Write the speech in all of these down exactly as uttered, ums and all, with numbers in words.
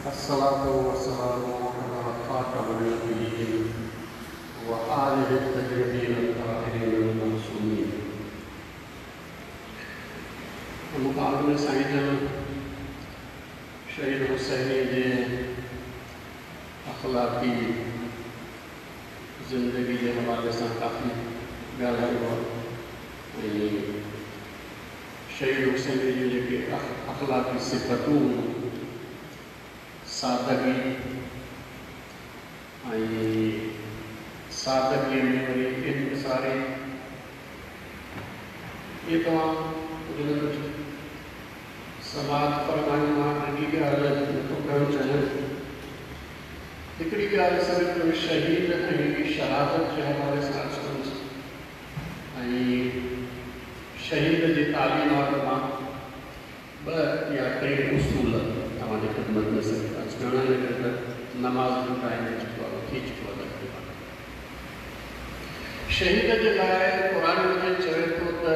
الصلاة والسلام على خاتم النبيين وآله الطيبين الطاهرين المعصومين. مقابل ۾ سائين جن شهيد حسيني جي اخلاقي زندگي جي حوالي سان ڪافي ڳالهايو آهي ۽ شهيد حسيني جون جيڪي اخلاقي صفتون، سادگي ۽ سادگيءَ ۾ وري انڪساري، اهي توهان ڪجهه نه ڪجهه سماعت فرمايون. مان ٽي ڳالهه نٿو ڪرڻ چاهيان. هڪڙي ڳالهه صرف شهيد ۽ شهادت جي حوالي سان عرض ڪندس ۽ شهيد جي تعليمات مان ٻه يا ٽي اصول توهان جي خدمت ۾ صرف عرض ڪرڻا آهن، ته نماز جو ٽائيم جيڪو آهي ٿي چڪو آهي تقريبن. شهيد جي لاءِ قرآن مجيد چوي ٿو ته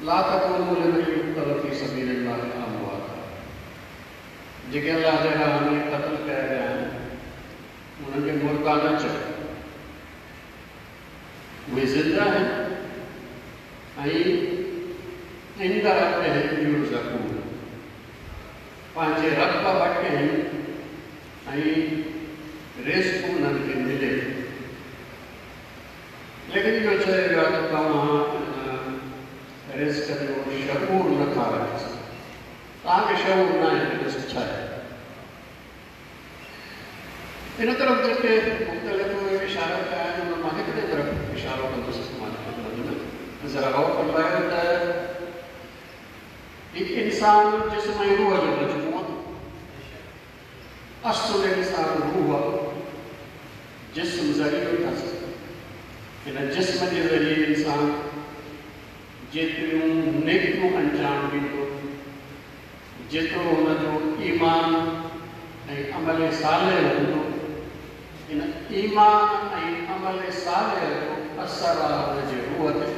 لا تقولوا لمن يقتل في سبيل الله اموات، جيڪي الله جي راهه ۾ قتل ڪيا ويا آهن انهن کي مردا نه چئو، اهي زنده آهن ۽ عند ربهم يرزقون، پنهنجي رب وٽ آهن ۽ رزق انهن کي ملي ٿو. ليڪن اهو چيو ويو آهي ته توهان رزق جو شعور نٿا رکي سگهو، توهان کي شعور نه آهي ته رزق ڇا آهي. ان طرف جيڪي مختلف اشارا ڪيا آهن ان مان هڪڙي طرف اشارو ڪندس توهان جي خدمت ۾. ذرا غور فرمايو ته هي انسان جسم ۽ روح جو مجموعو، اصل انسان روح، جسم ذريعو اٿس. هن جسم جي ذريعي انسان جيتريون نيڪيون انجام ڏيندو، جيترو هن جو ايمان ۽ عمل صالح هوندو، ان ايمان ۽ عمل صالح جو اثر آهي هن جي روح تي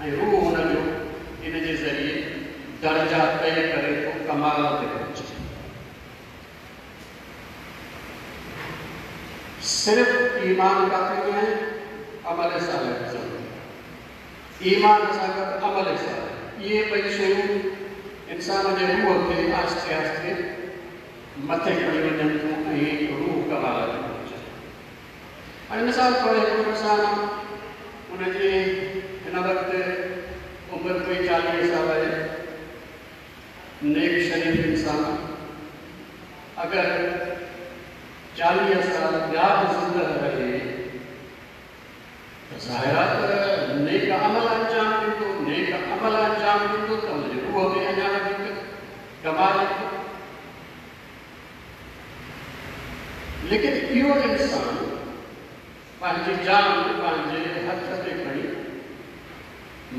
۽ روح هن جو ان جي ذريعي درجا طئي ڪري ٿو، ڪمال تي پهچي. صرف ايمان ڪافي نه آهي، عمل صالح به ضروري آهي. ايمان سان گڏ عمل صالح، اهي ٻئي شيون انسان جي روح کي آهستي آهستي مٿي کڻي وڃن ٿيون ۽ روح ڪمال تي پهچي ٿو. هاڻي مثال طور هڪڙو انسان، هن جي هن وقت عمر ڪوئي چاليهه سال آهي، نيڪ شريف انسان، اگر چاليهه سال ٻيا به زنده رهي ته ظاهر آهي ته نيڪ عمل انجام ڏيندو. نيڪ عمل انجام ڏيندو ته هن جي روح ۾ اڃا وڌيڪ ڪمال ايندو. ليڪن اهو انسان پنهنجي جان پنهنجي هٿ تي کڻي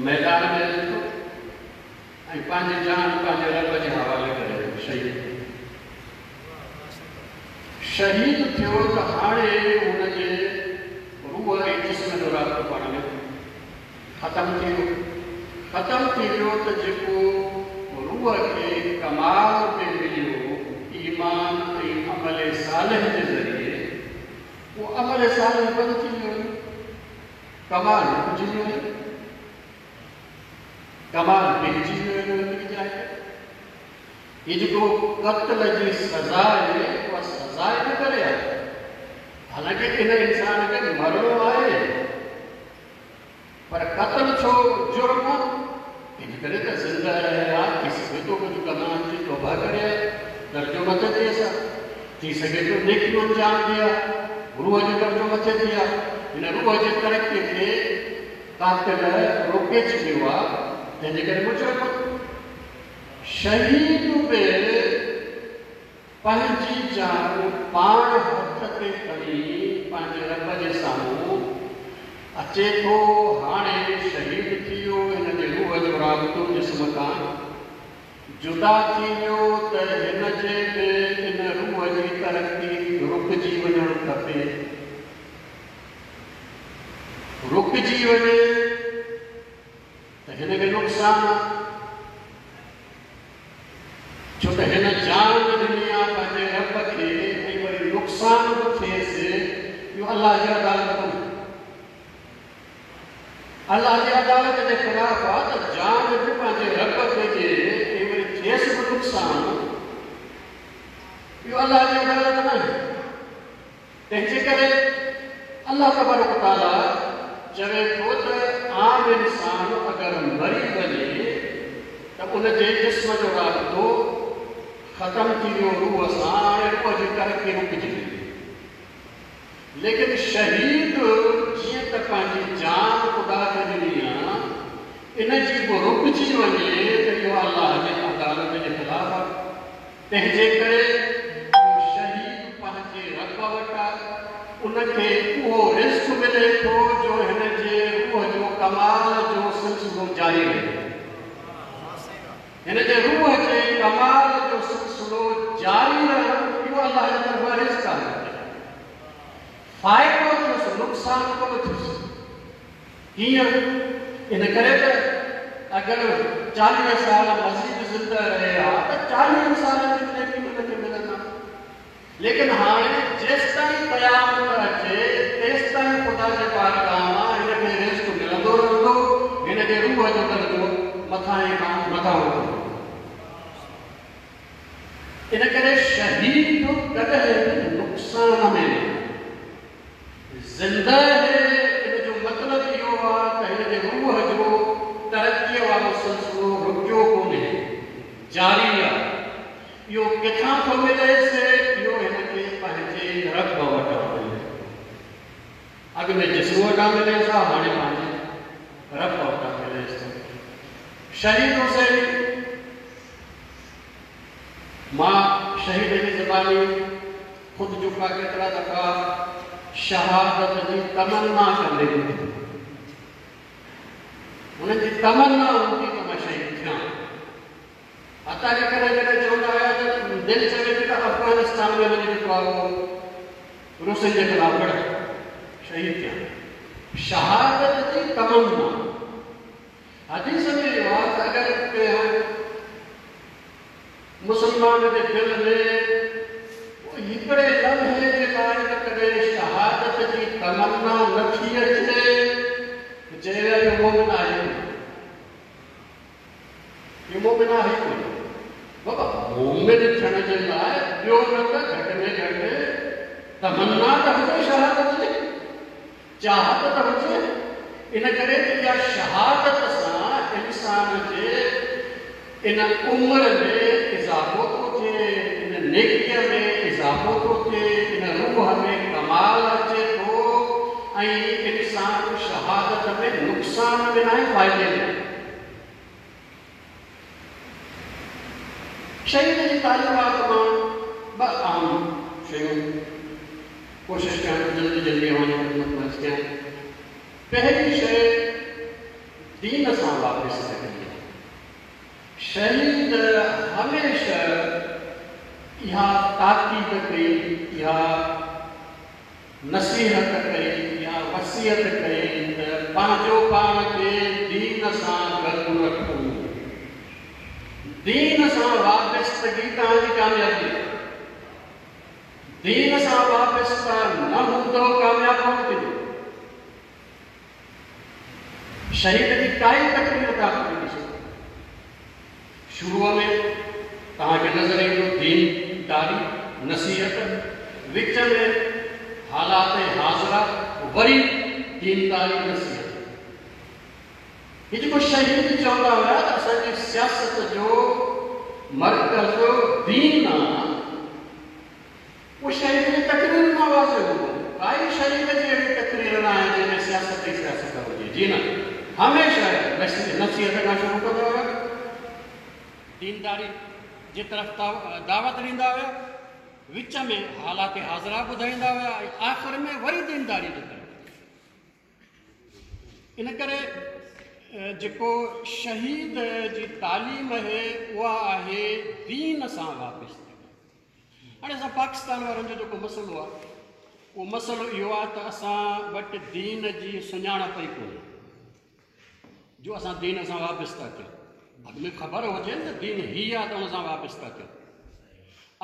ميدان ۾ اچي ٿو ۽ پنهنجي جان پنهنجي رب جي حوالي ڪري ٿو، شهيد ٿيو. شهيد ٿيو ته هاڻي هن جي روح ۽ جسم جو رابطو پاڻ ۾ ختم ٿي ويو. ختم ٿي ويو ته جيڪو روح کي ڪمال پي مليو ايمان ۽ عمل صالح جي ذريعي، اهو عمل صالح بند ٿي ويو، ڪمال رڪجي ويو، ڪمال بيهجي ويو هڪڙي جاءِ تي. هيءَ جيڪو قتل جي سزا آهي اها سزا ان ڪري آهي، حالانڪه ان انسان کي مرڻو آهي، پر قتل ڇو جرم؟ ان ڪري ته زنده رهي ها، ٿي سگهي ٿو ڪجهه گناهن جي توبه ڪري ها، درجو مٿي ٿئيس ها، ٿي سگهي ٿو نيڪيون انجام ڏئي ها، روح جو درجو مٿي ٿئي ها. هن روح جي ترقيءَ کي قاتل روڪي ڇڏيو آهي، تنهن جي ڪري مجرم. شهيد به پنهنجي جان پاڻ هٿ تي کڻي پنهنجي رب جي سامهون اچي ٿو. هاڻي شهيد ٿي ويو، هن جي روح جو رابطو جسم کان جدا ٿي ويو ته هن جي به ان روح جي ترقي رڪجي وڃڻ کپي. رڪجي وڃي ته هن کي نقصان آهي. छो त हिन जान ॾिनी आहे पंहिंजे रब खे ऐं वरी नुक़सानु बि थियसि, इहो अलाह जी अदालत कोन्हे। अलाह जी अदालत जे ख़िलाफ़ आहे त जान बि पंहिंजे रब खे ॾिए ऐं वरी थियसि बि नुक़सानु, इहो अलाह जी अदालत न आहे। तंहिंजे करे अलाह तबारक ताला चवे थो त आम इंसान अगरि मरी वञे त उनजे जिस्म जो राबितो ख़तमु थी वियो रूह सां, हाणे रूह जी तरक़ी रुकिजी वई। लेकिन शहीद जीअं त पंहिंजी जान ख़ुदा खे ॾिनी आहे, इन जी बि रुकिजी वञे त इहो अलाह जी अदालत जे ख़िलाफ़ आहे। तंहिंजे करे इहो शहीद पंहिंजे रब वटि आहे, उनखे उहो रिस्क मिले थो जो हिन जे रूह जो कमाल जो सिलसिलो जारी रहे। हिन जे रूह जे कमाल जो सिलसिलो जारी रहणु इहो अलाह जे तरफ़ां रिस्क आहे। फ़ाइदो थियुसि, नुक़सानु कोन थियुसि। कीअं? इन करे त अगरि चालीह साल मज़ीद ज़िंदा रहे हा त चालीह सालनि जी नेकी हुनखे मिलंदा। लेकिन हाणे जेसिताईं क़यामत अचे तेसिताईं ख़ुदा जे बारगाह मां हिनखे रिस्क मिलंदो रहंदो, हिन जे रूह जो दर्जो मथां खां मथां हूंदो। इन करे शहीद कॾहिं बि नुक़सान में न ज़िंदा आहे। इन जो मतिलबु इहो आहे त हिन जे रूह जो तरक़ीअ वारो सिलसिलो रुकियो कोन्हे, जारी आहे। इहो किथां थो मिलेसि? इहो हिनखे पंहिंजे रब वटां मिले। अॻु में जिस्म वटां मिलेसि, हाणे पंहिंजे रब वटां मिलेसि। शहीद हुसैन, मां शहीद जी ज़बानी ख़ुदि जेका केतिरा दफ़ा शहादत जी तमन्ना कंदे ॿुधी, हुननि जी तमन्ना हूंदी त मां शहीद थियां। हता जे कॾहिं कॾहिं चवंदा हुया त दिलि चवे थी त अफ़गानिस्तान में वञी जेको आहे उहो रूसियुनि जे ख़िलाफ़ लड़ां, शहीद थियां। शहादत जी तमन्ना हदीस में इहो आहे त अगरि कंहिं मुसलमान जे दिलि में हिकिड़े लम्हे जे लाइ त कॾहिं शहादत जी तमन्ना नथी अचे, चए विया इहो मोमिन आहे कोन, इहो मोमिन आहे कोन। बाबा मोमिन थियण जे लाइ ॿियो न त घटि में घटि तमन्ना त हुजे शहादत जी, चाहत त हुजे। इन करे त इहा शहादत सां इंसान जे इन उमिरि में इज़ाफ़ो थो थिए, इन नेकीअ में इज़ाफ़ो थो थिए, इन रूह में कमाल अचे थो ऐं इंसान शहादत में नुक़सान में न आहे, फ़ाइदे में। शहीद जी तालीमात मां ॿ अहम शयूं कोशिशि कयां जल्दी जल्दी अव्हांजी ख़िदमत में अर्ज़ु कयां। पहिरीं शइ दीन सां वापसि रखणी आहे। शहीद हमेशह इहा ताक़ीद कई, इहा नसीहत कई, इहा वसीयत कई त पंहिंजो पाण खे दीन सां गॾु रखो। दीन सां वाबिस्तगी तव्हांजी कामयाबी आहे। दीन सां वाबिस्ता न हूंदो कामयाबु कोन थींदो। शहीद जी काई तकरीर तव्हां ॾिसो, शुरूअ में तव्हांखे नज़र ईंदो दीनदारी नसीहत, विच में हालात हाज़िरा, वरी दीनदारी नसीहत। हीउ जेको शहीद चवंदा हुया त असांजी सियासत जो मर्कज़ दीन आहे, उहो शहीद जी तकरीर मां वाज़े हूंदो। काई शहीद जी अहिड़ी तकरीर न आहे जंहिंमें सियासत ई सियासत हुजे। जी न, हमेशह नसीहत खां शुरू कंदा हुया, दीनदारी जे तरफ़ दावत ॾींदा हुया, विच में हालात हाज़िरा ॿुधाईंदा हुया ऐं आख़िर में वरी दीनदारी जे तरफ़। इन करे जेको शहीद जी तालीम आहे उहा आहे दीन सां वापसि। हाणे असां पाकिस्तान वारनि जो जेको मसइलो आहे उहो मसइलो इहो आहे त असां वटि दीन जी सुञाणप ई कोन्हे जो असां दीन सां वाबिस्ता थियूं। اڳ ۾ ख़बर हुजे त दीन हीअ आहे त हुन सां वाबस्ता थियो।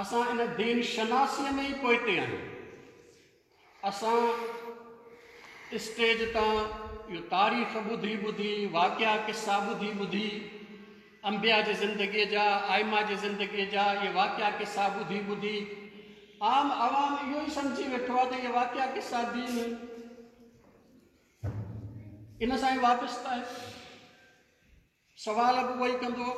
असां इन दीन शनासीअ में ई पोइते आहियूं। असां स्टेज तां इहो तारीख़ ॿुधी ॿुधी, वाक़िया किस्सा ॿुधी ॿुधी, अंबिया जी ज़िंदगीअ जा, आइमा जी ज़िंदगीअ जा इहे वाक़िया किस्सा ॿुधी ॿुधी आम आवाम इहो ई सम्झी वेठो आहे त इहे वाक़िया किस्सा दीन इन सां ई वाबस्ता आहे। सवाल बि उहो ई कंदो।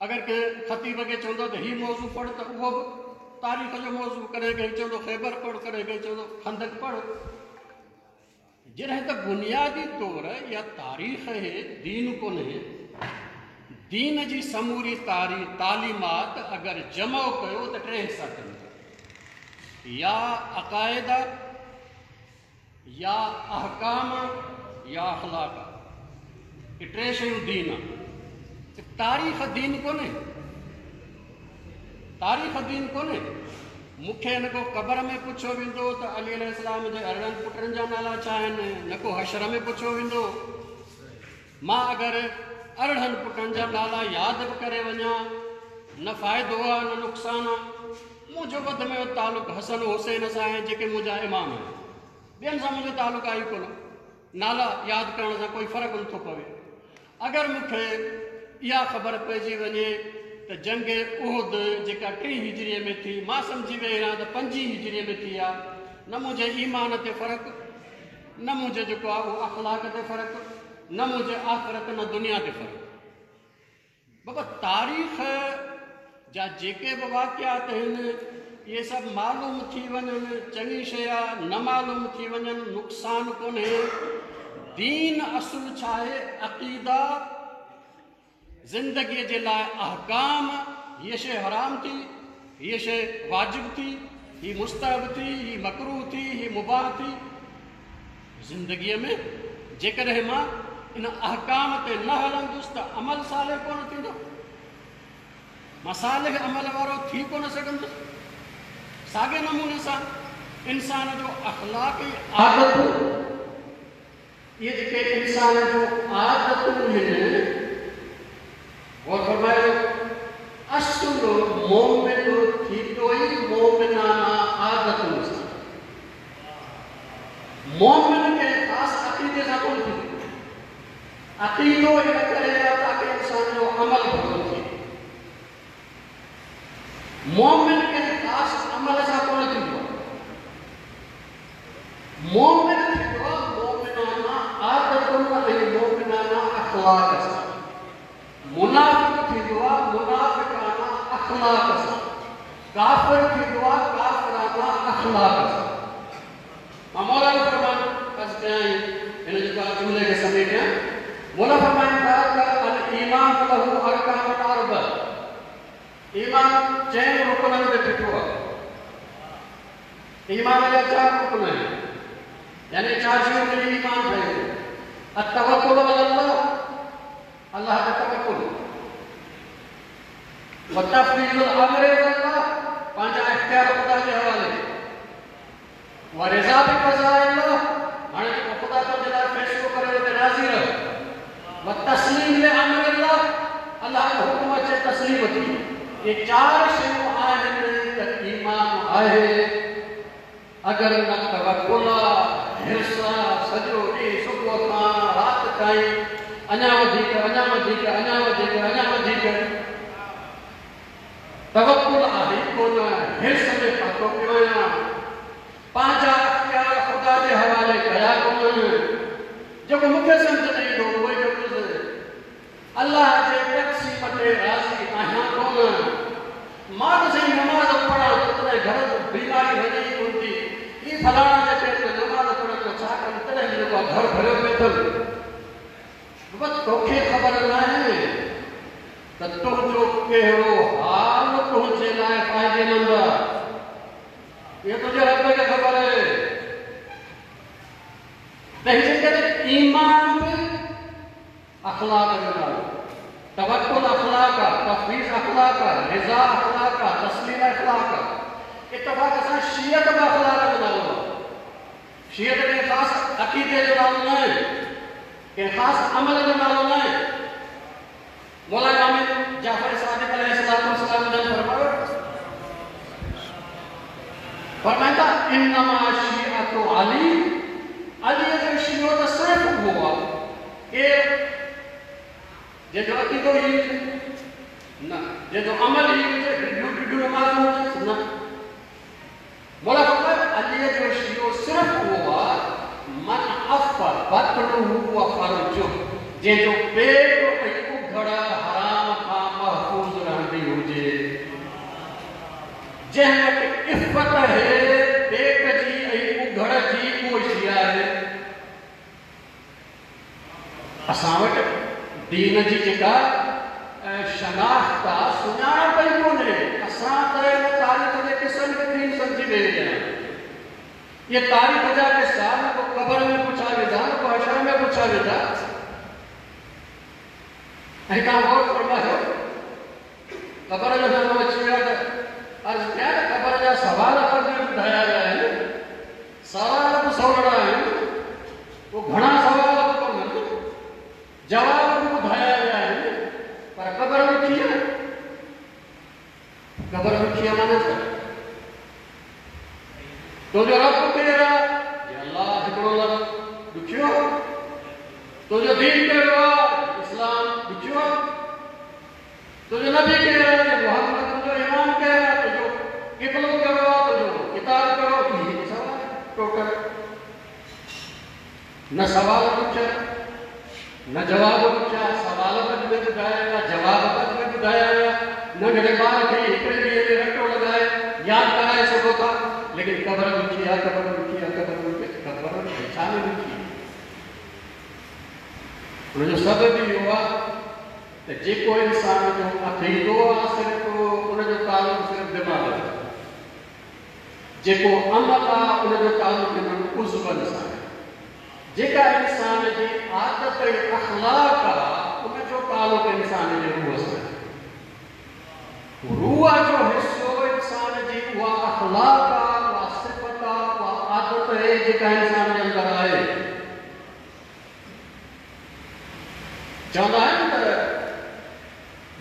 अगरि कंहिं ख़तीब खे चवंदो त हीउ मौज़ू पढ़ त उहो बि तारीख़ जो मौज़ू, कॾहिं कंहिं चवंदो ख़ैबर पढ़, कॾहिं कंहिं चवंदो खंदक पढ़। जॾहिं त बुनियादी तौर इहा तारीख़ आहे, दीन कोन्हे। दीन जी समूरी तारीख़ तालीमात अगरि जमो कयो त टे हिसा थियनि था, या अक़ाइद, या अहकाम, या अख़लाक़। इहे टे शयूं दीन आहे। तारीख़ दीन कोन्हे, तारीख़ दीन कोन्हे। मूंखे न को क़बर में पुछियो वेंदो त अली अलैहिस्सलाम जे अरिड़हनि पुटनि जा नाला छा आहिनि, न को हशर में पुछियो वेंदो। मां अगरि अरिड़हनि पुटनि जा नाला यादि बि करे वञा, न फ़ाइदो आहे न नुक़सानु आहे। मुंहिंजो वधि में वधि तालुक़ु हसन हुसैन सां आहे, जेके मुंहिंजा इमाम आहिनि। ॿियनि सां मुंहिंजो तालुक़ु आहे ई कोन। नाला यादि करण सां कोई फ़र्क़ु नथो पवे। अगरि मूंखे इहा ख़बर पइजी वञे त जंग उहुद जेका टी हिजरीअ में थी, मां सम्झी वेही आहियां त पंजी हिजरीअ में थी आहे, न मुंहिंजे ईमान ते फ़र्क़ु, न मुंहिंजे जेको आहे उहो अख़लाक़ ते फ़र्क़ु, न मुंहिंजे आख़िरत न दुनिया ते फ़र्क़ु। बाबा तारीख़ जा जेके बि वाक़ियात आहिनि इहे सभु मालूम थी वञनि, चङी शइ आहे, न मालूम थी वञनि नुक़सानु कोन्हे। दीन असुल छा आहे? अक़ीदा, ज़िंदगीअ जे लाइ अहकाम। हीअ शइ हराम थी, हीअ शइ वाजिब थी, हीअ मुस्तहब थी, हीअ मकरूह थी, हीअ मुबाह थी। ज़िंदगीअ में जेकॾहिं मां इन अहकाम ते न हलंदुसि त अमल सालिह कोन थींदो, मां सालिह अमल वारो थी कोन सघंदुसि। साॻे नमूने सां इंसान जो अख़लाक़ आदतूं, इहे जेके इंसान जो आदतूं आहिनि, गौर फरमायो, असुल मोमिन थींदो ई मोमिनाना आदतुनि सां। मोमिन कंहिं ख़ासि अक़ीदे सां कोन थींदो। अक़ीदो इन करे आहे ताकी इंसान जो अमल भलो थिए। मोमिन कंहिं ख़ासि अमल सां कोन थींदो आहे। मोमिन थींदो आहे मोमिनाना आदतुनि ऐं मोमिनाना अख़लाक़ सां। मुनाफ़िक़ थींदो आहे मुनाफ़िकाना अख़लाक़ सां। काफ़िर थींदो आहे काफ़िराना अख़लाक़ सां। मां मौला जो फरमान अर्ज़ु कयां, हिन जेको आहे जुमले खे समेटियां। मौला फरमाइनि था त अल ईमान लहू अरकान अरबा, ईमान चइनि रुकननि ते बिठो आहे। ईमान जा चारि रुकन आहिनि, यानी चारि शयूं मिली ईमान ठहे थो। अत-तवक्कुल अला अल्लाह, अल्लाह ते तवक्कुल, व तफ़वीज़ुल अम्र इला अल्लाह, पंहिंजा इख़्तियार ख़ुदा जे हवाले, व रिज़ा बि क़ज़ा अल्लाह, हाणे जेको ख़ुदा तुंहिंजे लाइ फ़ैसिलो करे उन ते राज़ी रहो, व तस्लीम ले अम्र अल्लाह, अल्लाह जो हुकुम अचे तस्लीम थी। इहे चारि शयूं आहिनि त ईमान आहे। अगरि न तवक्कुल आहे, हिर्स आहे, सॼो ॾींहुं सुबुह खां राति ताईं अञा वधीक अञा वधीक अञा वधीक अञा वधीक तवक्कुल आहे कोन, हिर्स में फाथो पियो आहियां, पंहिंजा अख़्तियार ख़ुदा जे हवाले कया कोन्हनि, जेको मूंखे सम्झ न ईंदो उहो ई कंदुसि, अल्लाह जे तक़सीम ते राज़ी आहियां कोन। मां त साईं नमाज़ पढ़ां थो तॾहिं घर बीमारी वञे ई कोन थी, हीअ फलाणा जेके नमाज़ पढ़नि त छा कनि, तॾहिं बि जेको आहे घर भरियो पियो अथनि। बाबा तोखे ख़बर न आहे त तुंहिंजो कहिड़ो हाल तुंहिंजे लाइ फ़ाइदेमंद आहे, इहो तुंहिंजे रब खे ख़बर आहे। तंहिंजे करे ईमान बि अख़लाक़ जो नालो, तवक्कुल अख़लाक़ आहे, तफ़वीज़ अख़लाक़ आहे, रिज़ा अख़लाक़ आहे, तस्लीम अख़लाक़ आहे। इतफ़ाक़ सां शीअत बि अख़लाक़ जो नालो आहे। शीअत कंहिं ख़ासि अक़ीदे जो नालो न आहे, कंहिं ख़ासि अमल जो नालो न आहे। मौला इमाम जाफर सादिक अलैहिस्सलाम जन फरमायो, फरमाइंदा इन्नमा शिअतु अली, अली जो शियो त सिर्फ उहो आहे केरु जंहिंजो अक़ीदो ई हुजे न, जंहिंजो अमल ई हुजे, ढिढियूं ढिढियूं नमाज़ूं हुजनि न। मौला फरमायो अली जो शियो सिर्फ उहो आहे मन अफ बतनुहु व फर्जुहु, जंहिंजो पेट ऐं उघड़ हराम खां महफ़ूज़ रहंदी हुजे, जंहिं वटि इफ़त आहे पेट जी ऐं उघड़ जी, उहो शिया आहे। असां वटि दीन जी जेका शनाख़्त आहे, सुञाणप ई कोन्हे। असां त हिन तारीख़ जे क़िसनि खे दीन सम्झी वेही रहिया आहियूं। इहे तारीख़ जा क़िसा न को क़बर में पुछा वेंदा, न को हशर में पुछा वेंदा। ऐं तव्हां गौर फरमायो, क़बर जो नालो अची वियो त अर्ज़ कयां त क़बर जा सवाल पर ॿुधाया विया आहिनि, सवाल बि सवड़ा आहिनि, पोइ घणा सवाल बि कोन्हनि, जवाब बि ॿुधाया विया आहिनि, पर क़बर ॾुखी आहे। क़बर ॾुखी आहे माना छा? तुंहिंजो रब केरु आहे? अल्लाह हिकिड़ो लफ़्ज़ ॾुखियो आहे। तुंहिंजो दीन कहिड़ो आहे? इस्लाम ॾुखियो आहे। तुंहिंजो नबी केरु आहे? मोहम्मद। तुंहिंजो इमाम केरु आहे? तुंहिंजो क़िबलो कहिड़ो आहे? तुंहिंजो किताब कहिड़ो? इहे सवाल टोटल न सवाल ॾुखिया न जवाब ॾुखिया। सवाल बि में ॿुधाया विया, जवाब बि में ॿुधाया विया। नंढड़े ॿार खे हिकिड़े ॾींहं में रटो लॻाए यादि कराए सघो था, लेकिन क़बर ॾुखी आहे, क़बर ॾुखी आहे, क़बर ॾुखी, क़बर छा में ॾुखी? हुनजो सबबु इहो आहे त जेको इंसान जो अक़ीदो आहे सिर्फ़ु उनजो तालुक़ सिर्फ़ दिमाग़ सां, जेको अमल आहे उनजो तालुक़ हिननि उज़्वनि सां आहे, जेका इंसान जी आदत ऐं अख़लाक आहे उनजो तालुक़ इंसान जे रूह सां आहे। रूह जो हिसो इंसान जी उहा अख़लाक आहे, उहा सिफ़त आहे, उहा आदत आहे जेका इंसान जे अंदरि आहे। चवंदा आहिनि त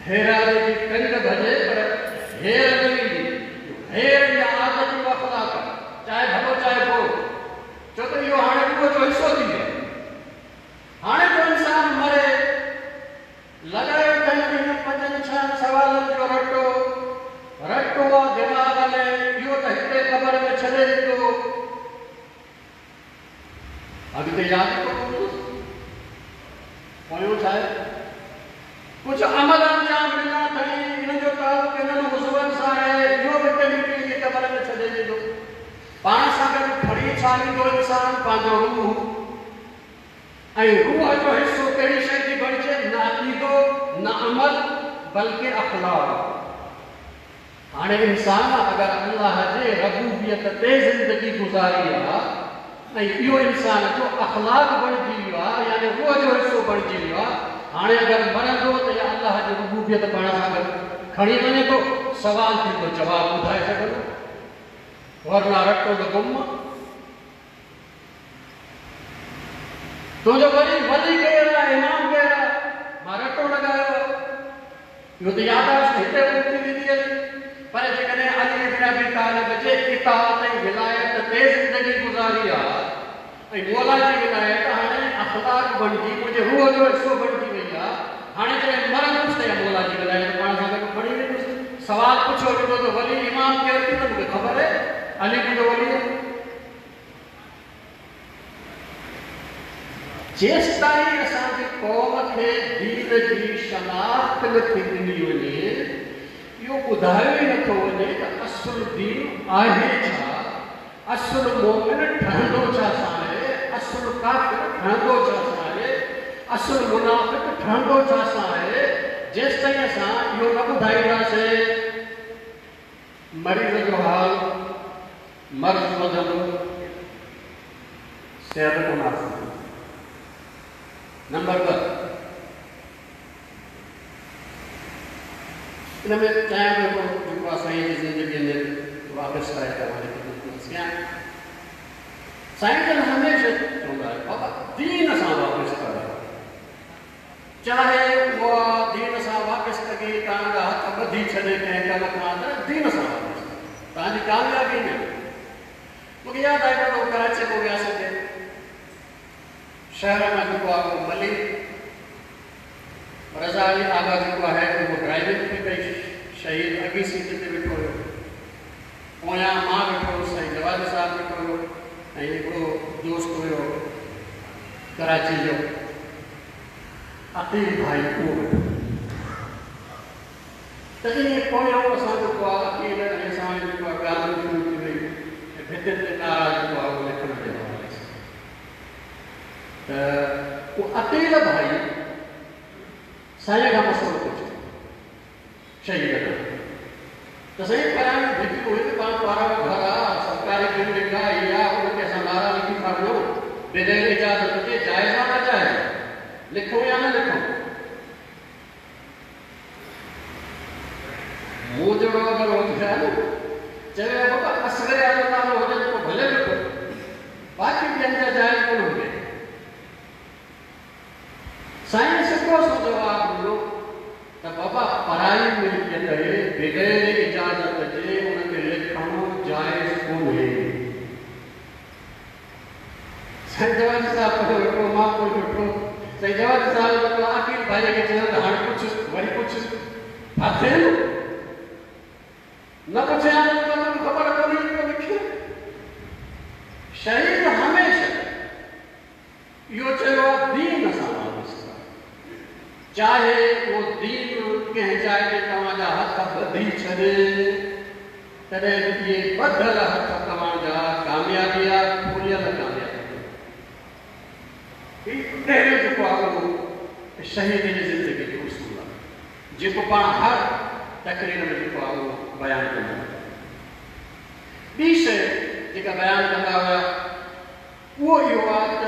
हेरारे जी टंग भॼे पर हेर न ईंदी। हेर या आदत जो अख़लाक आहे, चाहे भलो चाहे बुरो, छो त इहो हाणे रूह जो हिसो थी वियो। हाणे जो इंसान मरे लॻाए हिन पंजनि छहनि सवालनि जो रटो रटो आहे दिमाग़ में, इहो त हिते क़बर में छॾे ॾींदो, अॻिते यादि कोन हूंदुसि। पोयों छा आहे? कुझु अमल अंजाम ॾिना अथई, हिन जो तालुक़ हिननि उज़्वनि सां आहे, इहो बि हिते निकिरी क़बर में छॾे ॾींदो। पाण सां गॾु खणी छा ईंदो इंसान? पंहिंजो रूह। ऐं रूह जो हिसो कहिड़ी शइ थी बणिजे? न अक़ीदो न अमल, बल्कि अख़लाक। हाणे इंसान अगरि अल्लाह जे रबूबियत ते ज़िंदगी गुज़ारी आहे ऐं इहो इंसान जो अख़लाक बणिजी वियो आहे, यानी रूह जो हिसो बणिजी वियो आहे, हाणे अगरि मरंदो त इहा अल्लाह जी रबूबियत पाण सां गॾु खणी वञे थो, सवाल थींदो जवाबु ॿुधाए सघंदो, वरना रटो त गुम। तुंहिंजो वरी वली केरु आहे? इमाम केरु आहे? मां रटो लॻायो आहे, इहो त यादाश्त हिते गुम थी वेंदी आहे। पर जेकॾहिं अली बिन अबी तालिब जे इताअत ऐं विलायत ते ज़िंदगी गुज़ारी आहे ऐं मौला जी विलायत हाणे अख़लाक बणिजी मुंहिंजे रूह जो हिसो बणिजी वई आहे, हाणे जॾहिं मरंदुसि त मौला जी विलायत पाण सां गॾु खणी वेंदुसि। सवाल पुछियो वेंदो त वली इमाम केरु थी? त मूंखे ख़बर आहे अली मुंहिंजो वली आहे। जेसिताईं असांजी क़ौम खे दीन जी शनाख़्त नथी ॾिनी वञे, इहो ॿुधायो ई नथो वञे त असुलु दीन आहे छा, असुलु मोमिन ठहंदो छा सां आहे, असुलु काफ़िर ठहंदो छा सां आहे, असुलु मुनाफ़िक ठहंदो छा सां आहे। जेसिताईं असां इहो न ॿुधाईंदासीं, मरीज़ जो हाल मर्ज़ वधंदो, सिहत कोन हासिल थींदी। नंबर ॿ, इन में चाहियां पियो जेको आहे साईं जी ज़िंदगीअ में वापसि आहे तव्हांजे कयां। साईं जन हमेशह चवंदा आहिनि बाबा दीन सां वापसि करो, चाहे उहा दीन सां وابستگي توهان جا هٿ ٻڌي ڇڏي ڪنهن ڪم کان ته دين سان وابستگي توهان جي ڪاميابي نه. मूंखे यादि आहे हिकिड़ो कराची पोइ वियासीं, शहर मां जेको आहे उहो मली रज़ा अली आगा जेको आहे उहो ड्राइविंग पई कई, शहीद अॻी सीट ते वेठो हुयो, पोयां मां वेठो हुउसि, साईं जवाद साहिबु वेठो हुयो ऐं हिकिड़ो दोस्त हुयो कराची जो अकील भाई, उहो वेठो। त ईअं पोयां असां जेको आहे अकील ऐं असांजी जेको आहे ॻाल्हि शुरू थी वई ऐं भितियुनि ते नारा जेको आहे उहो लिखण जे हवाले सां। त उहो अकील भाई साईं खां मसइलो पुछो शहीद खां, त साईं परायूं भितियूं हुयूं, पाण पारां घर आहे, सरकारी बिल्डिंग आहे, इहा आहे, उनखे असां नारा लिखी था वञूं बग़ैर इजाज़त जे, जाइज़ आहे नाजाइज़ आहे, लिखूं या न लिखूं? मूं जहिड़ो अगरि हुजे हा न, चवे बाबा असगर जो नालो हुजे त पोइ भले लिखो, बाक़ी ॿियनि जा जाइज़ कोन हुजे। साईं सिधो सो जवाबु ॾिनो त बाबा पराई मिल्कियत आहे, बग़ैर इजाज़त जे उनखे लिखणु जाइज़ कोन्हे। साईं जवाद साहिबु पोइ वेठो, मां पोइ वेठो। साईं जवाद साहिबु जेको अकील भाई खे चयो त हाणे पुछ, वरी पुछ, फाथे न पुछे हा त तोखे ख़बर कोन्हे पियो लिखे। शहीद हमेशह इहो चयो आहे दीन सां वाबस्ता, चाहे उहो दीन कंहिं जाइ ते तव्हांजा हथ ॿधी छॾे, तॾहिं बि इहे ॿधल हथ तव्हांजा कामयाबी आहे, खुलियल कामयाबी। पहिरियों जेको आहे उहो शहीद जी ज़िंदगी जो उसूल आहे, जेको पाण हर तकरीर में जेको आहे उहो बयानु कंदा हुआ। ॿी शइ जेका बयानु कंदा हुआ उहो इहो आहे त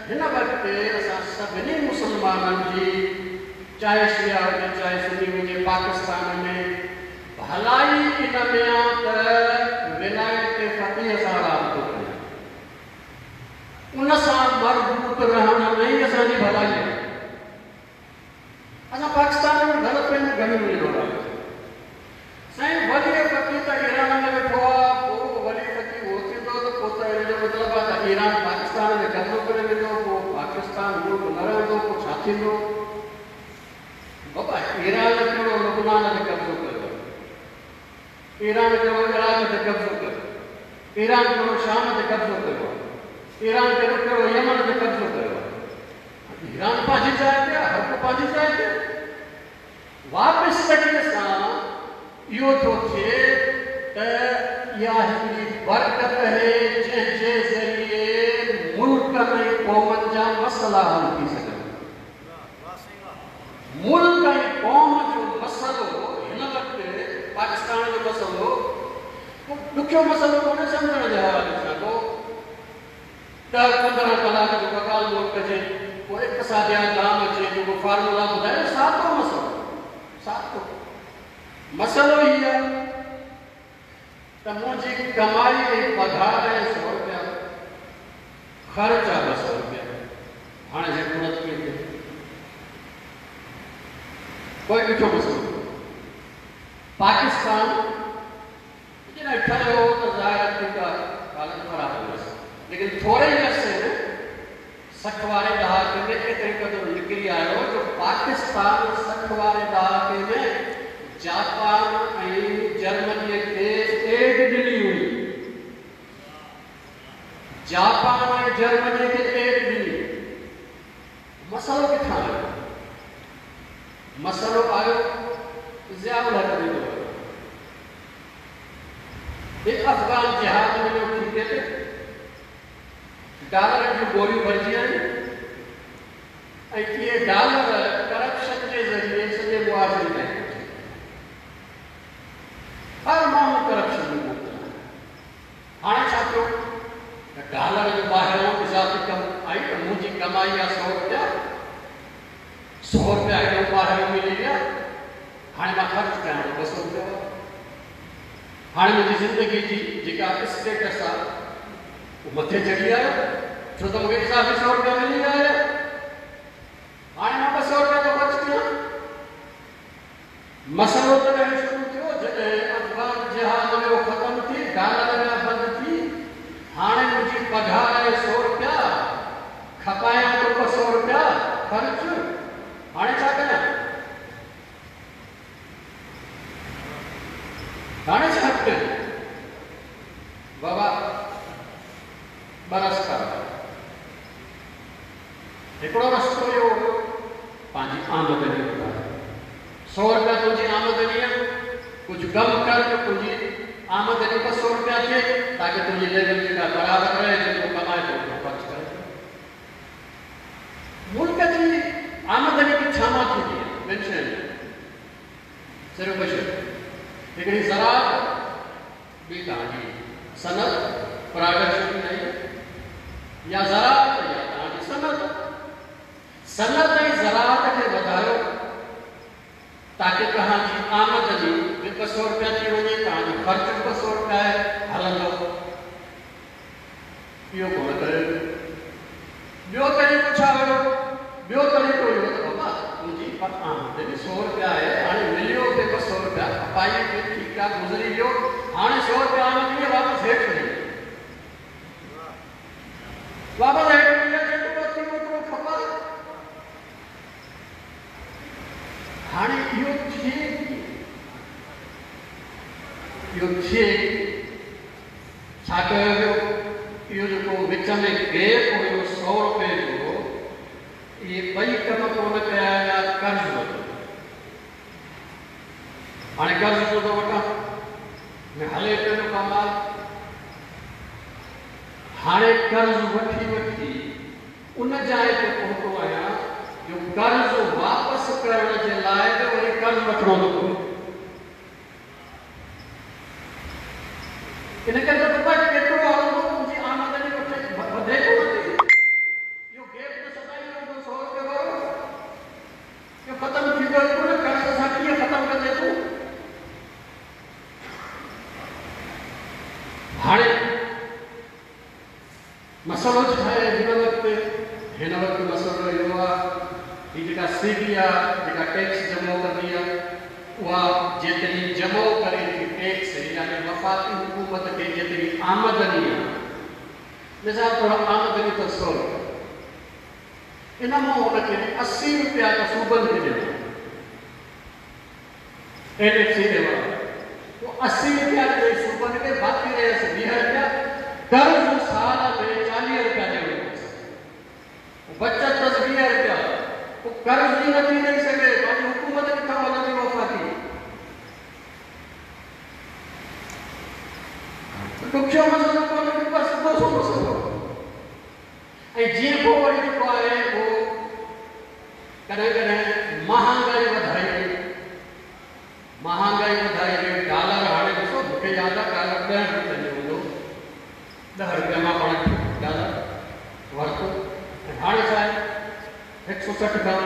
हिन वक़्तु असां सभिनी मुस्लमाननि जी, चाहे शिया हुजे चाहे सुन्नी हुजे, पाकिस्तान में भलाई इन में आहे त विलायत फ़क़ीह सां राब्तो कयूं, उन सां मरबूत रहण में ई असांजी भलाई आहे। असां पाकिस्तान में ग़लति फहमियूं घणियूं ॾिनो आहे। साईं वली फ़क़ीह त ईरान में वेठो आहे, पोइ वली फ़क़ीह उहो थींदो त पोइ त हिन जो मतिलबु आहे त ईरान पाकिस्तान ते कब्ज़ो करे वेंदो, पोइ पाकिस्तान मुल्क न रहंदो, पोइ छा थींदो? बाबा ईरान कहिड़ो लुबनान ते कब्ज़ो कयो, ईरान कहिड़ो इराक ते कब्ज़ो कयो, ईरान कहिड़ो शाम ते कब्ज़ो कयो, ईरान कहिड़ो कहिड़ो यमन ते कब्ज़ो कयो। ईरान पंहिंजी जाइ ते आहे, हर को पंहिंजी जाइ ते। वापसि सां इहो थो थिए त इहा हिकिड़ी बरकत आहे जंहिंजे ज़रिए मुल्क ऐं क़ौमनि जा मसइला हल थी सघनि। मुल्क ऐं क़ौम जो मसइलो हिन वक़्तु पाकिस्तान जो मसइलो ॾुखियो मसइलो कोन्हे सम्झण जे हवाले सां, को ॾह पंद्रहं कलाक जो ॻाल्हि ॿोल कजे, पोइ इक़्तिसादियात दाम अचे, जेको फार्मूला ॿुधाए, सादो मसइलो, सादो मसइलो हीउ आहे त मुंहिंजी कमाई ऐं पघार आहे सौ रुपया, ख़र्च आहे ॿ सौ रुपया, हाणे ज़रूरत कीअं थिए? कोई ॾुखियो मसइलो। पाकिस्तान जॾहिं ठहियो त ज़ाहिर ठीकु आहे, हालत ख़राबु हुअसि, लेकिन थोरे ई अरसे में सठि वारे ॾहाके में एतिरे क़दुरु निकिरी आयो जो पाकिस्तान सठि वारे ॾहाके में जापान ऐं जर्मनीअ खे एड ॾिनी हुई। जापान ऐं जर्मनी खे एड ॾिनी। मसइलो किथां आयो? मसइलो आयो ज़ियाउल हक़ जे दौर में। अफ़गान जिहाद मिलियो ठीके ते, डॉलर जूं बोरियूं भरिजी आयूं ऐं इहे डॉलर करप्शन जे ज़रिए सॼे मुआशरे ताईं पहुची। हर माण्हू करप्शन में मुब्तला आहे। हाणे छा थियो त डॉलर जो ॿाहिरियों इज़ाफ़ी कमु आई त मुंहिंजी कमाई आहे सौ रुपया, सौ रुपया हेॾो ॿाहिरियों मिली विया, हाणे मां ख़र्च कयां थो ॿ सौ रुपया। हाणे मुंहिंजी ज़िंदगी जी जेका स्टेटस आहे उहो मथे चढ़ी आयो, छो त मूंखे इज़ाफ़ी सौ रुपया मिली विया आहिनि। हाणे मां ॿ सौ रुपया थो ख़र्च कयां। मसइलो तॾहिं शुरू थियो जॾहिं अफ़गान जिहाद वियो ख़तमु थी, डॉलर विया बंदि थी। हाणे मुंहिंजी पघार आहे सौ रुपया, खपायां थो ॿ सौ रुपया ख़र्च, हाणे छा कयां? हाणे छा कयां? बाबा ॿ रस्ता, हिकिड़ो रस्तो इहो हुयो पंहिंजी आमदनी वधाए, सौ रुपया तुंहिंजी आमदनी आहे, कुझु कमु कर जो तुंहिंजी आमदनी ॿ सौ रुपया थिए, ताकी तुंहिंजी लेवल जेका बराबरि रहे, जेतिरो कमाए थो ओतिरो ख़र्च करे। मुल्क जी आमदनी बि छा मां थींदी आहे? ॿिनि शयुनि मां, सिर्फ़ु ॿ शयूं, हिकिड़ी ज़राअत, ॿी तव्हांजी सनत, प्रोडक्शन या ज़राअत या तव्हांजी सनत। सनत ऐं ज़राअत खे वधायो ताकी तव्हांजी आमदनी बि ॿ सौ रुपया थी वञे, तव्हांजो ख़र्च बि ॿ सौ रुपया आहे, हलंदो। इहो कोन कयो। ॿियो तरीक़ो छा हुयो? ॿियो तरीक़ो इहो त बाबा तुंहिंजी आमदनी सौ रुपया आहे, हाणे मिलियो बि ॿ सौ रुपया, खपाई बि ठीकु आहे, गुज़री वियो, हाणे सौ रुपया आमदनी वापसि हेठि वञे, वापसि हेठि वञे, जेतिरो थी ओतिरो खपाए। हाणे इहो थिए, इहो थिए छा कयो वियो? इहो जेको विच में गैप हुयो सौ रुपए जो, इहे ॿई कम कोन कया विया, कर्ज़ वरितो। हाणे कर्ज़ छो थो वठां, हले पियो कमाल। हाणे कर्ज़ वठी वठी उन जाइ ते पहुतो आहियां जो कर्ज़ वापसि करण जे लाइ बि वरी कर्ज़ वठिणो थो पवे। इन करे त बाबा केतिरो हलंदो, तुंहिंजी आमदनी वधे कोन थी, इहो गैप त सदाई रहंदो सौ रुपए वारो, इहो ख़तमु थींदो ई कोन। कर्ज़ सां कीअं ख़तमु कंदे तूं? हाणे मसइलो छा आहे हिन वक़्तु? हिन वक़्तु मसइलो इहो आहे, हीअ जेका सी बी आहे, जेका टैक्स जमो कंदी आहे, उहा जेतिरी जमो करे थी टैक्स, यानी वफ़ाक़ी हुकूमत खे जेतिरी आमदनी आहे, मिसाल तौरु आमदनी अथसि सौ रुपया, इन मां हुनखे असी रुपया त सूबनि खे ॾियणा, एन एफ सी ॾियणा, पोइ असी रुपया ॾेई सूबनि खे, बाक़ी रहियसि वीह रुपया। कर्ज़ साल में चालीह रुपया ॾियणो पवंदो, बचत अथसि वीह रुपया, पोइ कर्ज़ ई नथी ॾेई सघे, पंहिंजी हुकूमत किथां हलंदी वफ़ाक़ी? ॾुखियो मसइलो कोन्हे, बसि सिधो सो मसइलो। ऐं जीअं पोइ वरी जेको आहे उहो कॾहिं कॾहिं महांगाई वधाई वई, महांगाई वधाई वई। डॉलर हाणे ॾिसो, मूंखे यादि आहे डॉलर ॾह रुपए जो हूंदो, ॾह रुपया मां पाण डॉलर वरितो, ऐं हाणे छा आहे हिकु सौ सठि खां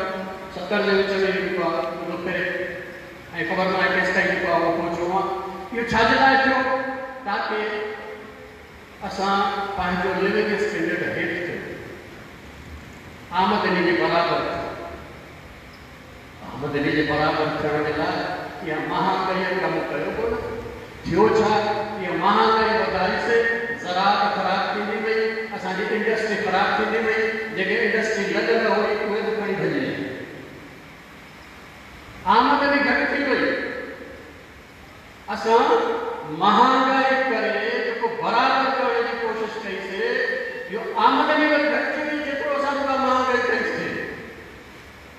सतरि जे विच में जेको आहे उहो फिरे, ऐं ख़बर न आहे केसि ताईं जेको आहे उहो पहुचणो आहे। इहो छाजे लाइ थियो? ताकी असां पंहिंजो लिविंग स्टैंडर्ड हेठि कयूं, आमदनी जे बराबरि थियूं। आमदनी जे बराबरि थियण जे लाइ इहा महांगाईअ कमु कयो कोन। थियो छा? इहा महांगाई वधाईसीं, ज़राअत ख़राबु थींदी वई, असांजी इंडस्ट्री ख़राबु थींदी वई, जेके इंडस्ट्री लॻल हुई उहे बि खणी भॼी वई, आमदनी घटि थी वई। असां महांगाई करे जेको बराबरि करण जी कोशिशि कईसीं, इहो आमदनी वरी घटि थी वई, जेतिरो असां जेका महांगाई कईसीं,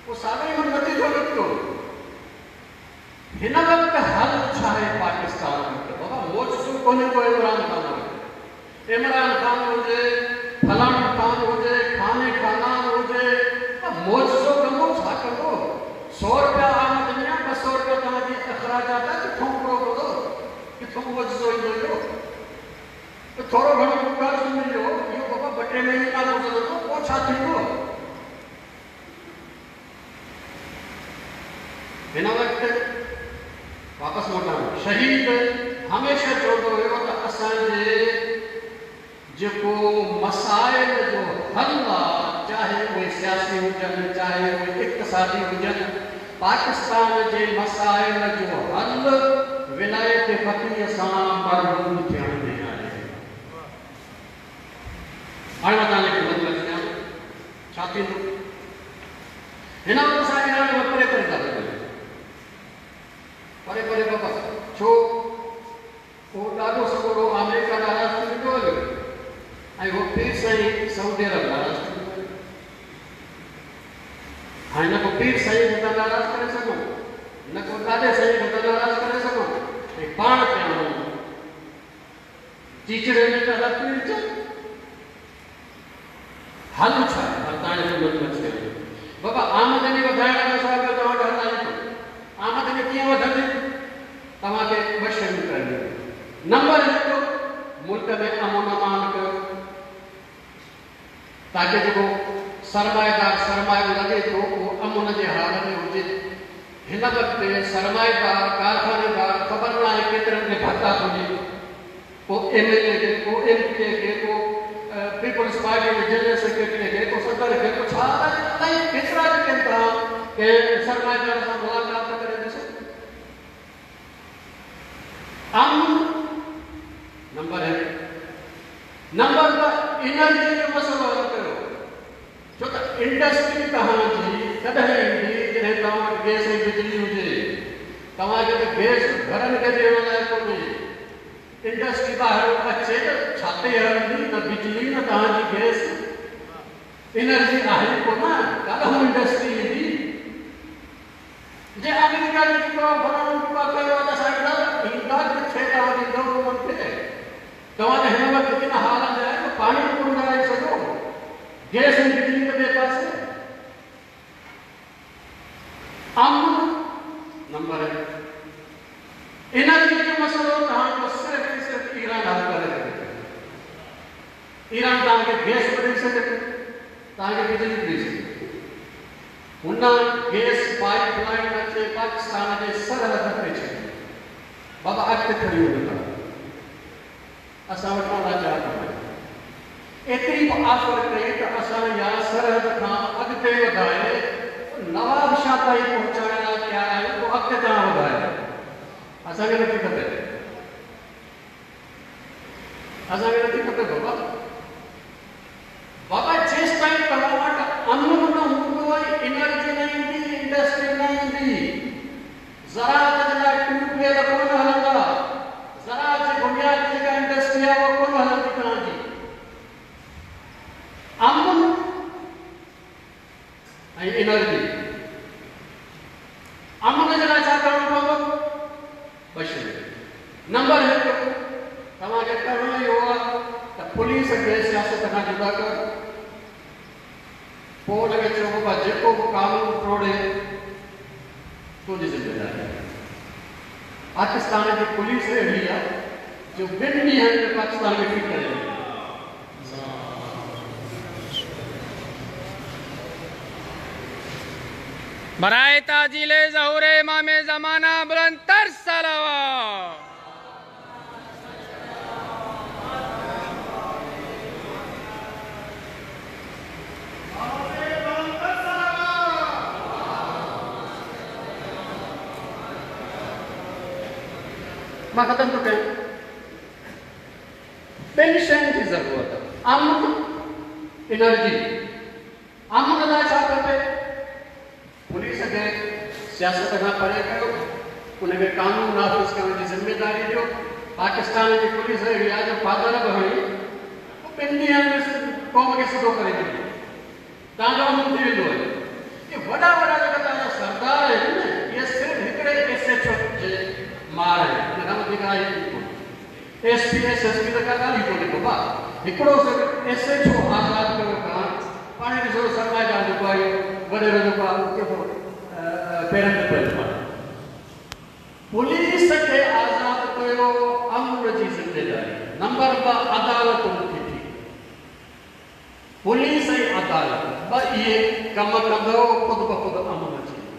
पोइ साॻियो ई नतीजो निकितो। हिन वक़्तु हल छा आहे पाकिस्तान वटि? बाबा मोजिज़ो कोन्हे को इमरान ख़ान वटि। इमरान ख़ान हुजे, फलाणो ख़ान हुजे, खाने खानान हुजे, मोजिज़ो कंदो छा कंदो? सौ रुपया आमदनी आहे, ॿ सौ रुपया तव्हांजी अख़राजात आहे, किथां पूरो कंदो? किथां मोजिज़ो ईंदो इहो? त थोरो घणो कर्ज़ मिलियो, इहो बाबा ॿ टे महीना गुज़रंदो, पोइ छा थींदो? हिन वक़्तु वापसि मोटां, शहीद हमेशह चवंदो हुयो त असांजे जेको मसाइल जो हल आहे, चाहे उहे सियासी हुजनि, चाहे उहे इक़्तिसादी हुजनि, पाकिस्तान जे मसाइल जो हल विलायत फ़क़ीह सां मरबूत थियण में आहे। हाणे मां तव्हांजे ख़िदमत में अची छा थींदो? हिन वक़्तु असां ईरान खां परे परे था वञूं, परे परे बाबा, छो उहो ॾाढो सॻोरो आमेरिका नाराज़ थी वेंदो हलियो ऐं उहो पीर साईं सऊदी अरब नाराज़ थी वेंदो। हाणे न को पीर साईं खे था नाराज़ करे सघूं, न को ॾाॾे साईं खे था नाराज़ करे सघूं, ऐं पाण पिया वञूं चीचड़े में पिया था पीर। हल छा हल तव्हांजे ख़िदमत में अची वञो बाबा। आमदनी वधाइण खां सवाइ ॿियो तव्हां वटि हल आहे कोन। आमदनी कीअं वधंदी? तव्हांखे ॿ शयूं करणियूं। नंबर हिकु, मुल्क में अमन अमान कयो ताकी जेको सरमाएदार सरमायो लॻे थो उहो अमन जे हाल में हुजे। हिन वक़्तु सरमाएदार कारखानेदार ख़बर न आहे केतिरनि खे भत्ता थो ॾिए, को एम एल ए खे, को एम पी ए खे, को पीपल्स पार्टी जे जनरल सेक्रेटरी खे, को सदर खे, को छा अलाए केतिरा जेके आहिनि तव्हां कंहिं सरमाएदार सां मुलाक़ात त करे ॾिसो। अमन नंबर हिकु। नंबर ॿ, एनर्जी जो मसइलो हल कयो, छो त इंडस्ट्री तव्हांजी तॾहिं ईंदी जॾहिं तव्हां वटि गैस ऐं बिजली हुजे। तव्हांखे त गैस घरनि खे ॾियण लाइ कोन्हे, इंडस्ट्री ॿाहिरि अचे त छा ते हलंदी? न बिजली न तव्हांजी गैस, एनर्जी आहे कोन, काॾां इंडस्ट्री ईंदी? जे अमेरिका जो जेको फलाणो जेको कयो आहे त असां ईंदा किथे तव्हां ॾींदव उन्हनि खे? तव्हां त हिन वक़्तु इन हाल में आहियो, पाणी बि कोन ॻाल्हाए सघो, गैस ऐं बिजली त ॿिए पासे। अमन नंबर हिकु। एनर्जी जो मसइलो तव्हांजो सिर्फ़ ऐं सिर्फ़ ईरान हल करे सघे थो। ईरान तव्हांखे गैस बि ॾेई सघे थो, तव्हांखे बिजली बि ॾेई सघे थो। हुन गैस पाइपलाइन अचे पाकिस्तान जे सरहद ते छॾी। बाबा अॻिते खणी वञो तव्हां, असां वटि लाचार कोन्हे। एतिरी बि ऑफर कई त असां इहा सरहद खां अॻिते वधाए नवाब शाह ताईं पहुचाइण लाइ तयारु आहियूं, पोइ अॻिते तव्हां वधायो, असांखे नथी खपे, असांखे नथी खपे बाबा। बाबा जेसि ताईं तव्हां वटि अमन न हूंदो, एनर्जी न ईंदी, इंडस्ट्री न ईंदी, ज़राअत जे लाइ ट्यूबवेल कोन हलंदा, ज़राअत जे बुनियाद ते जेका इंडस्ट्री आहे उहा कोन हलंदी तव्हांजी। अमन ऐं एनर्जी, अमन जे लाइ छा करिणो पवंदो? ॿ शयूं। नंबर हिकु, तव्हांखे करिणो इहो आहे त पुलिस खे सियासत खां जुदा कयो, पोइ हुनखे चयो बाबा जेको बि कानून टोड़े तुंहिंजी ज़िम्मेदारी आहे। पाकिस्तान जी पुलिस अहिड़ी आहे जो ॿिनि ॾींहंनि में पाकिस्तान खे ठीक करे। बराए ताजीले ज़हूर इमाम ज़माना बुलंद तर सलावत। मां ख़तमु थो कयां। ॿिनि शयुनि जी ज़रूरत आहे, अमन, एनर्जी। अमन लाइ छा खपे? पुलिस खे सियासत खां परे कयो, उनखे कानून नाफ़िज़ करण जी ज़िम्मेदारी ॾियो। पाकिस्तान जी पुलिस अहिड़ी आहे जो फादर बि हणी ॿिनि ॾींहंनि में क़ौम खे सिधो करे छॾींदी, तव्हांजो अमन थी वेंदो आहे। इहे वॾा वॾा जेका तव्हांजा सरदार आहिनि न, इहे सिर्फ़ हिकिड़े एस एच ओ जे मार आहिनि, हुन खां वधीक आहे ई कोन। S P S S P त का ॻाल्हि ई कोन्हे बाबा, हिकिड़ो सिर्फ़ एस एच ओ आज़ादु कयो तव्हां, पाण ॾिसो सरमाएदार जेको आहे वॾेरो जेको आहे उहो केतिरो पेरनि ते पयल आहे। पुलिस खे आज़ादु कयो, अमन जी ज़िम्मेदारी। नंबर ॿ, अदालतुनि खे ठीक। पुलिस ऐं अदालत ॿ इहे कम कंदव, ख़ुदि ब ख़ुदि अमन अची वेंदो।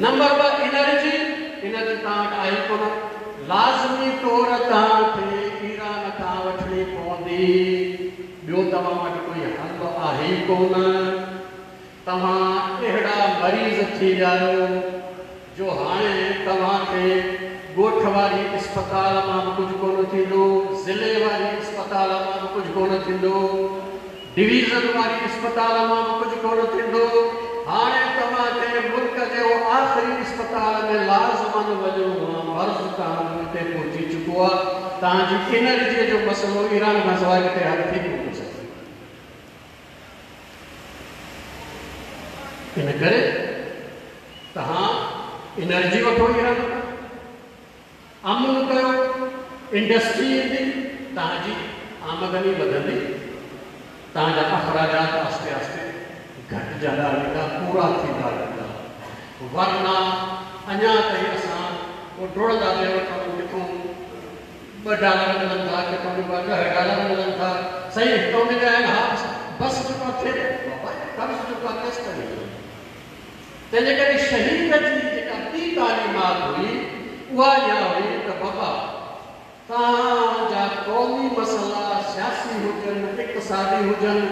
नंबर ॿ, एनर्जी। एनर्जी तव्हां वटि आहे कोन, लाज़मी तौर तव्हांखे ईरान खां वठणी पवंदी, ॿियो तव्हां वटि कोई हल आहे ई कोन। तव्हां अहिड़ा मरीज़ थी विया आहियो जो हाणे तव्हांखे ॻोठ वारी इस्पताल मां बि कुझु कोन थींदो, ज़िले वारी इस्पताल मां बि कुझु कोन थींदो, डिवीज़न वारी इस्पताल मां बि कुझु कोन थींदो। हाणे तव्हांखे मुल्क जे आख़िरी इस्पताल में लाज़मन वञिणो आहे। मर्ज़ तव्हांजो हिते पहुची चुको आहे। तव्हांजी एनर्जीअ जो मसइलो ईरान खां सवाइ किथे हल थी कोन सघे। इन करे तव्हां एनर्जी वठो ईरान खां, अमन कयो, इंडस्ट्री ईंदी, तव्हांजी आमदनी वधंदी, तव्हांजा अख़राजात आहिस्ते आहिस्ते घटिजंदा वेंदा, पूरा थींदा वेंदा। वरना अञा ताईं असां पोइ डुड़ंदा पिया वठूं, किथूं ॿ डॉलर मिलनि था, किथूं ॿ ॾह डॉलर मिलनि था। सही हितां मिलिया आहिनि, हा बसि जेको थिए बाबा कर्ज़ जेको आहे केसि ताईं मिलंदो। तंहिंजे करे शहीद जी जेका ॿी तालीमात हुई उहा इहा हुई त बाबा तव्हांजा क़ौमी मसइला सियासी हुजनि, इक़्तिसादी हुजनि,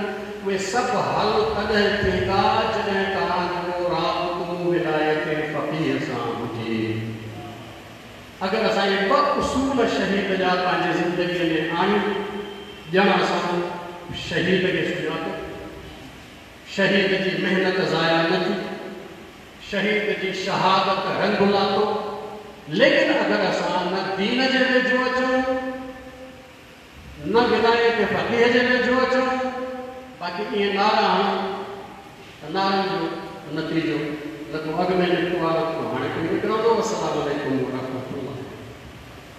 उहे सभु हल तॾहिं थींदा जॾहिं तव्हांजो राबितो विलायत फ़क़ीह सां हुजे। अगरि असां इहे ॿ उसूल शहीद जा पंहिंजी ज़िंदगीअ में आणियूं, ॼण असां शहीद खे सुञातो, शहीद जी महिनत ज़ाया न थी, शहीद जी शहादत रंग लातो। लेकिन अगरि असां न दीन जे वेझो अचूं, न विलायत फ़क़ीह जे वेझो अचूं, बाक़ी ईअं नारा हणूं त नारनि जो नतीजो न को अॻु में निकितो आहे, न को हाणे कोई निकिरंदो। अस्सलाम वालेकुम वरहमतुल्लाह।